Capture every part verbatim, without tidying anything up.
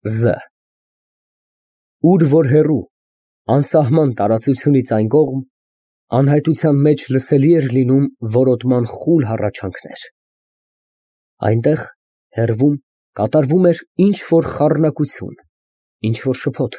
Զ Ուր որ հեռու, անսահման տարածությունից այն կողմ, անհայտության մեջ լսելի էր լինում որոտման խուլ հառաչանքներ. այնտեղ, հեռվում, կատարվում էր ինչ֊որ խառնակություն, ինչ֊որ շփոթ,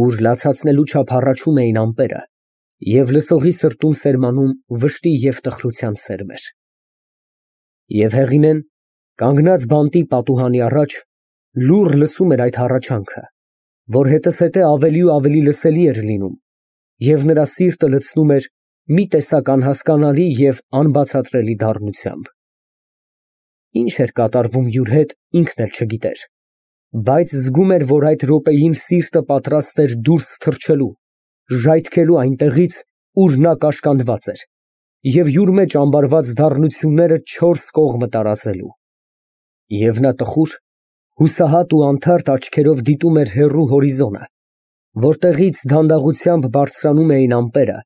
ուր լացացնելու չափ հառաչում էին ամպերը և լսողի սրտում սերմանում վշտի և տխրության սերմեր։ Եվ Հեղինեն, կանգնած բանտի պատուհանի առաջ, լուռ լսում էր այդ հառաչանքը, որ հետզհետե ավելի ու ավելի լսելի էր լինում և նրա սիրտը լցնում էր մի տեսակ անհասկանալի և անբացատրելի դառնությամբ։ Ինչ էր կատարվում յուր հետ, ինքն էլ չգիտեր, բայց զգում էր, որ այդ րոպեին սիրտը պատրաստ էր դուրս թռչելու, ժայթքելու այնտեղից, ուր նա կաշկանդված էր, և յուր մեջ ամբարված դառնությունները չորս կողմը տարածելու։ Եվ նա տխուր, հուսահատ ու անթարթ աչքերով դիտում էր հեռու հորիզոնը, որտեղից դանդաղությամբ բարձրանում էին ամպերը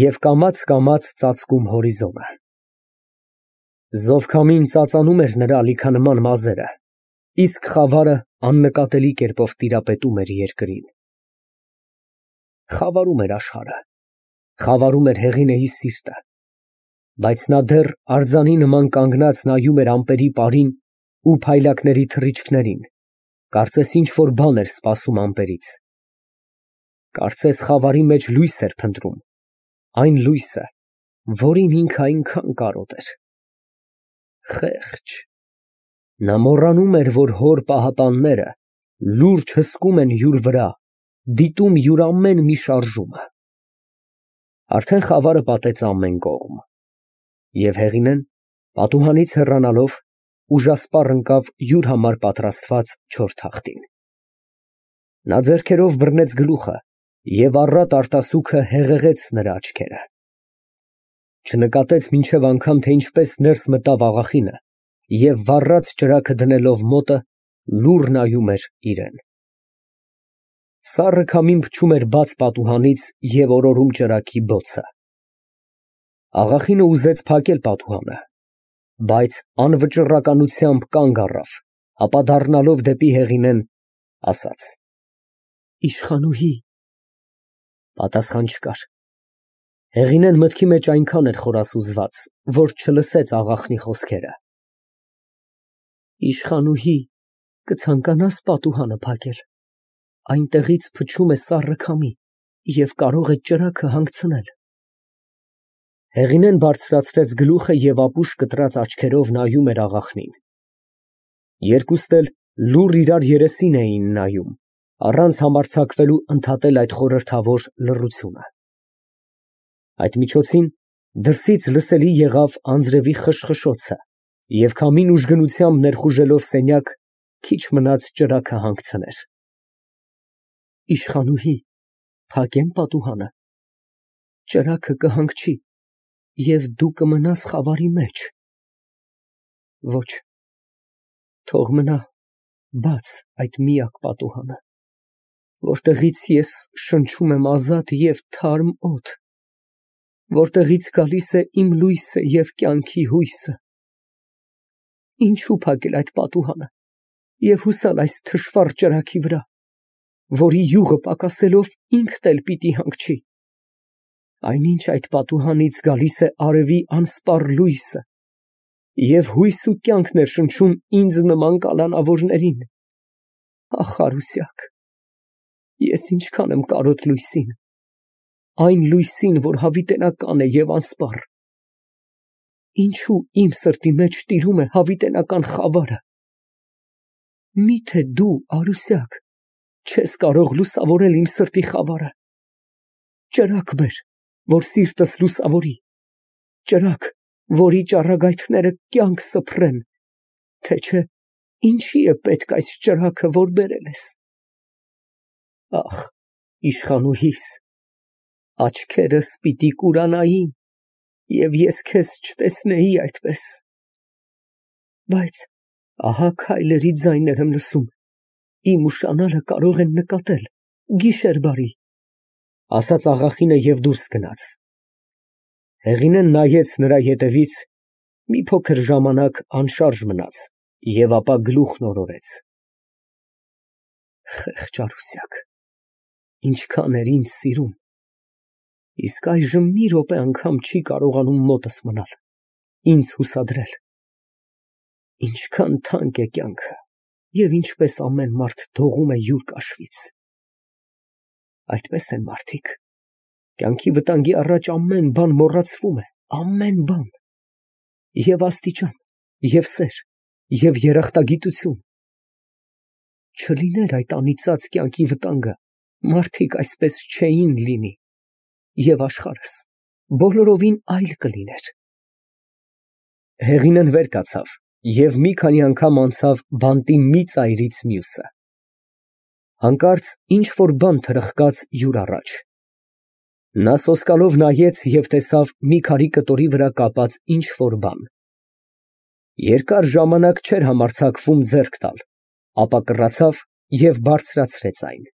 և կամաց֊կամաց ծածկում հորիզոնը։ Զովքամին ծածանում էր նրա ալիքանման մազերը, իսկ խավարը աննկատելի կերպով տիրապետում էր երկրին։ Խավարում էր աշխարհը, խավարում էր Հեղինեի սիրտը, բայց նա դեռ արձանի նման կանգնած նայում էր ամպերի պարին ու փայլակների թռիչքներին, կարծես ինչ֊որ բան էր սպասում ամպերից։ Կարծես խավարի մեջ լույս էր փնտրում, այն լույսը, որին ինքը այնքան կարոտ էր։ Խեղճ, նա մոռանում էր, որ հոր պահապանները լուրջ հսկում են յուր վրա, դիտում յուր ամեն մի շարժումը։ Արդեն խավարը պատեց ամեն կողմ, և Հեղինեն, պատուհանից հեռանալով, ուժասպառ ընկավ յուր համար պատրաստված չոր թախտին։ Նա ձեռքերով բռնեց գլուխը և առատ արտասուքը հեղեղեց նրա աչքերը։ Չնկատեց մինչև անգամ, թե ինչպես ներս մտավ աղախինը և վառած ճրագը դնելով մոտը, լուռ նայում էր իրան։ Սառը քամին փչում էր բաց պատուհանից և օրորում ճրագի բոցը։ Աղախինը ուզեց փակել պատուհանը, բայց անվճռականությամբ կանգ առավ, ապա դառնալով դեպի Հեղինեն, ասաց. Իշխանուհի… Պատասխան չկար։ Հեղինեն մտքի մեջ այնքան էր խորասուզված, որ չլսեց աղախնի խոսքերը։ Իշխանուհի, կցանկանա՞ս պատուհանը փակել, այնտեղից փչում է սառը քամի և կարող է ճրագը հանգցնել։ Հեղինեն բարձրացրեց գլուխը և ապուշ կտրած աչքերով նայում էր աղախնին։ Երկուստ էլ լուռ իրար երեսին էին նայում, առանց համարձակվելու ընդհատել այդ խորհրդավոր լռությունը։ Այդ միջոցին դրսից լսելի եղավ անձրևի խշխշոցը, և քամին ուժգնությամբ ներխուժելով սենյակ, քիչ մնաց ճրագը հանգցներ։ Իշխանուհի, փակե՞մ պատուհանը։ Ճրագը կհանգչի, և դու կմնաս խավարի մեջ։ Ոչ, թող մնա բաց այդ միակ պատուհանը, որտեղից ես շնչում եմ ազատ և թարմ օդ, որտեղից գալիս է իմ լույսը և կյանքի հույսը։ Ինչո՞ւ փակել այդ պատուհանը և հուսալ այս թշվառ ճրագի վրա, որի յուղը պակասելով ինքդ էլ պիտի հանգչի։ Այնինչ այդ պատուհանից գալիս է արևի անսպառ լույսը և հույս ու կյանքն է շնչում ինձ նման կալանավորներին։ Ախ, արուսյակ, ես ինչքան եմ կարոտ լույսին, այն լույսին, որ հավիտենական է և անսպառ։ Ինչո՞ւ իմ սրտի մեջ տիրում է հավիտենական խավարը։ Մի՞թե դու, արուսյակ, չես կարող լուսավորել իմ սրտի խավարը։ Ճրագ բեր, որ սիրտս լուսավորի, ճրագ, որի ճառագայթները կյանք սփռեն, թե չէ ինչի է պետք այս ճրագը, որ բերել ես։ Ախ, իշխանուհիս, աչքերս պիտի կուրանային, և ես քեզ չտեսնեի այդպես։ Բայց ահա քայլերի ձայներ եմ լսում, իմ ուշանալը կարող են նկատել, գիշեր բարի, ասաց աղախինը և դուրս գնաց։ Հեղինեն նայեց նրա ետևից, մի փոքր ժամանակ անշարժ մնաց և ապա գլուխն օրորեց։ Խեղճ Արուսյակ, ինչքան էր ինձ սիրում, իսկ այժմ մի րոպե անգամ չի կարողանում մոտս մնալ, ինձ հուսադրել։ Ինչքան թանկ է կյանքը, և ինչպես ամեն մարդ դողում է յուր կաշվից։ Այդպես են մարդիկ, կյանքի վտանգի առաջ ամեն բան մոռացվում է, ամեն բան, և աստիճան, և սեր, և երախտագիտություն։ Չլիներ այդ անիծած կյանքի վտանգը, մարդիկ այսպես չէին լինի, և աշխարհս բոլորովին այլ կլիներ։ Հեղինեն վեր կացավ և մի քանի անգամ անցավ բանտի մի ծայրից մյուսը։ Հանկարծ ինչ֊որ բան թրխկաց յուր առաջ։ Նա սոսկալով նայեց և տեսավ մի քարի կտորի վրա կապած ինչ֊որ բան։ Երկար ժամանակ չէր համարձակվում ձեռք տալ, ապա կռացավ և բարձրացրեց այն։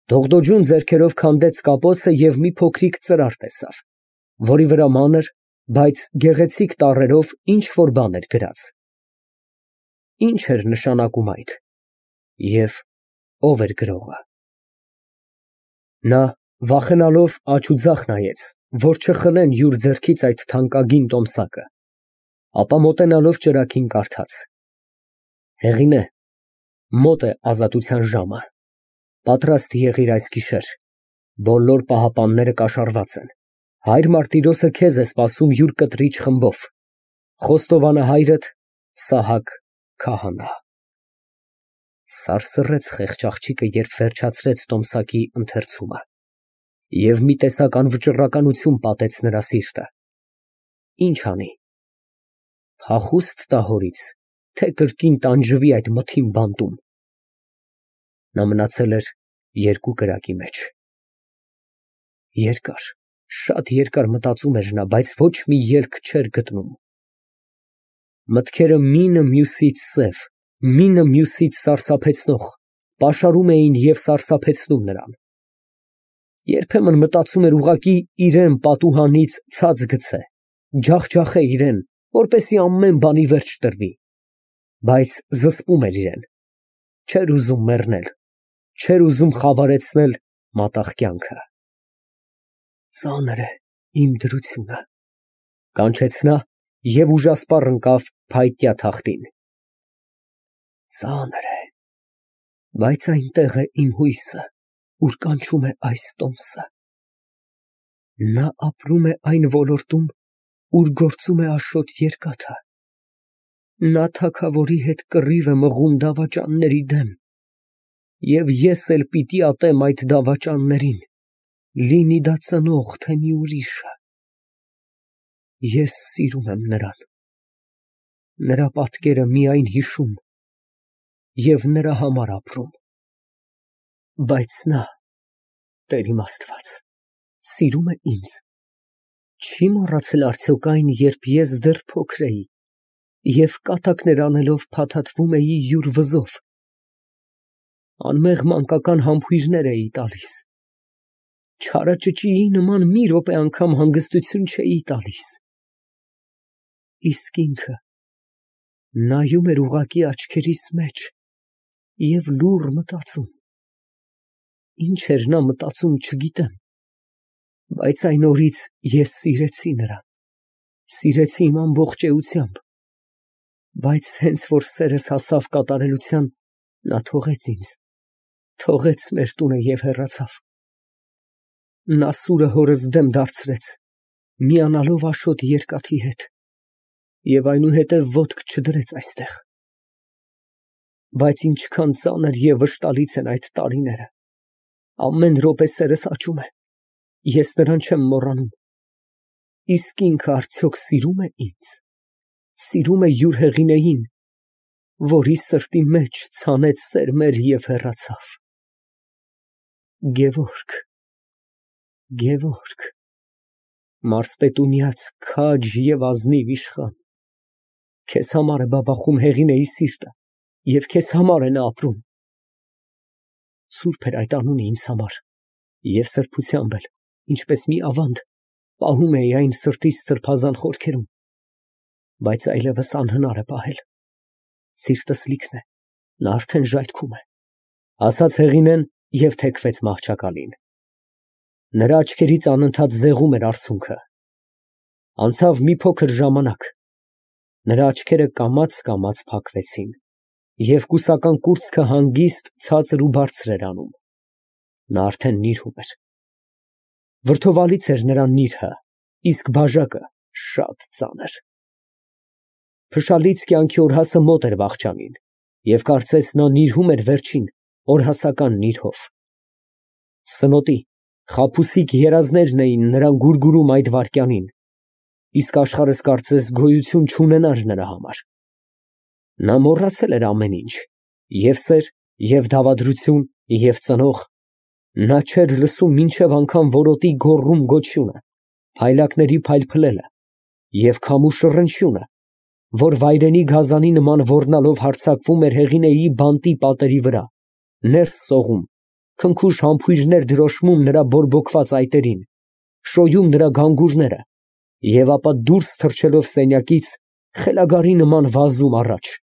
Դողդոջուն ձեռքերով քանդեց կապոցը և մի փոքրիկ ծրար տեսավ, որի վրա մանր, բայց գեղեցիկ տառերով ինչ֊որ բան էր գրած։ Ի՞նչ էր նշանակում այդ, և ո՞վ էր գրողը։ Նա վախենալով աջ ու ձախ նայեց, որ չխլեն յուր ձեռքից այդ թանկագին տոմսակը, ապա մոտենալով ճրագին կարդաց. Հեղինե, մոտ է ազատության ժամը, պատրաստ եղիր այս գիշեր, բոլոր պահապանները կաշառված են, հայր Մարտիրոսը քեզ է սպասում յուր կտրիչ խմբով, խոստովանահայրդ Սահակ քահանա։ Սարսռեց խեղճ աղջիկը, երբ վերջացրեց տոմսակի ընթերցումը, և մի տեսակ անվճռականություն պատեց նրա սիրտը։ Ինչ անի, փախո՞ւստ տա հորից, թե կրկին տանջվի այդ մթին բանտում։ Նա մնացել էր երկու կրակի մեջ։ Երկար, շատ երկար մտածում էր նա, բայց ոչ մի ելք չէր գտնում։ Մտքերը մինը մյուսից սև, մինը մյուսից սարսափեցնող, պաշարում էին և սարսափեցնում նրան։ Երբեմն մտածում էր ուղղակի իրան պատուհանից ցած գցե, ջախջախե իրան, որպեսզի ամեն բանի վերջ տրվի, բայց զսպում էր իրան, չէր ուզում մեռնել, չէր ուզում խավարեցնել մատաղ կյանքը։ Ծանր է իմ դրությունը, կանչեց նա և ուժասպառ ընկավ փայտյա թախտին։ Ծանր է, բայց այնտեղ է իմ հույսը, ուր կանչում է այս տոմսը։ Նա ապրում է այն ոլորտում, ուր գործում է Աշոտ Երկաթը։ Նա թագավորի հետ կռիվ է մղում դավաճանների դեմ, և ես էլ պիտի ատեմ այդ դավաճաններին, լինի դա ծնող, թե մի ուրիշը։ Ես սիրում եմ նրան, նրա պատկերը միայն հիշում և նրա համար ապրում։ Բայց նա, Տեր իմ Աստված, սիրում է ինձ, չի մոռացել արդյոք այն, երբ ես դեռ փոքր էի և կատակներ անելով փաթաթվում էի յուր վզով, անմեղ մանկական համբույրներ էի տալիս, չարաճճիի նման մի րոպե անգամ հանգստություն չէի տալիս, իսկ ինքը նայում էր ուղղակի աչքերիս մեջ և լուռ մտածում։ Ինչ էր նա մտածում, չգիտեմ, բայց այն օրից ես սիրեցի նրան, սիրեցի իմ ամբողջ էությամբ, բայց հենց որ սերս հասավ կատարելության, նա թողեց ինձ, թողեց մեր տունը և հեռացավ։ Նա սուրը հորս դեմ դարձրեց, միանալով Աշոտ Երկաթի հետ, և այնուհետև ոտք չդրեց այստեղ։ Բայց ինչքան ծանր և վշտալից են այդ տարիները, ամեն րոպե սերս աճում է, ես նրան չեմ մոռանում։ Իսկ ինքը արդյոք սիրո՞ւմ է ինձ, սիրո՞ւմ է յուր Հեղինեին, որի սրտի մեջ ցանեց սերմեր և հեռացավ։ Գևորգ, Գևորգ, մարզպետունյաց քաջ և ազնիվ իշխան, քեզ համար է բաբախում Հեղինեի սիրտը և քեզ համար է նա ապրում։ Սուրբ էր այդ անունը ինձ համար, և սրբությամբ էլ, ինչպես մի ավանդ, պահում էի այն սրտիս սրբազան խորքերում, բայց այլևս անհնար է պահել, սիրտս լիքն է, նա արդեն ժայթքում է, Ասաց Հեղինեն և թեքվեց մահճակալին։ Նրա աչքերից անընդհատ զեղում էր արցունքը։ Անցավ մի փոքր ժամանակ, նրա աչքերը կամաց֊կամաց փակվեցին, և կուսական կուրծքը հանգիստ ցածր ու բարձր էր անում։ Նա արդեն նիրհում էր։ Վրդովալից էր նրա նիրհը, իսկ բաժակը շատ ծանր։ Փշալից կյանքի օրհասը մոտ էր վախճանին, և կարծես նա նիրհում էր վերջին, օրհասական նիրհով։ Սնոտի, խաբուսիկ երազներն էին նրան գուրգուրում այդ վայրկյանին, իսկ աշխարհս կարծես գոյություն չունենար նրա համար։ Նա մոռացել էր ամեն ինչ, և սեր, և դավադրություն, և ծնող, նա չէր լսում մինչև անգամ որոտի գոռում֊գոչյունը, փայլակների փայլփլելը և քամու շռնչյունը, որ վայրենի գազանի նման ոռնալով հարձակվում էր Հեղինեի բանտի պատերի վրա, ներս սողում, քնքուշ համբույրներ դրոշմում նրա բորբոքված այտերին, շոյում նրա գանգուրները և ապա դուրս թռչելով սենյակից, խելագարի նման վազում առաջ։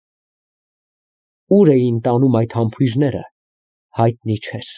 Ուր էին տանում այդ համբույրները, հայտնի չէր։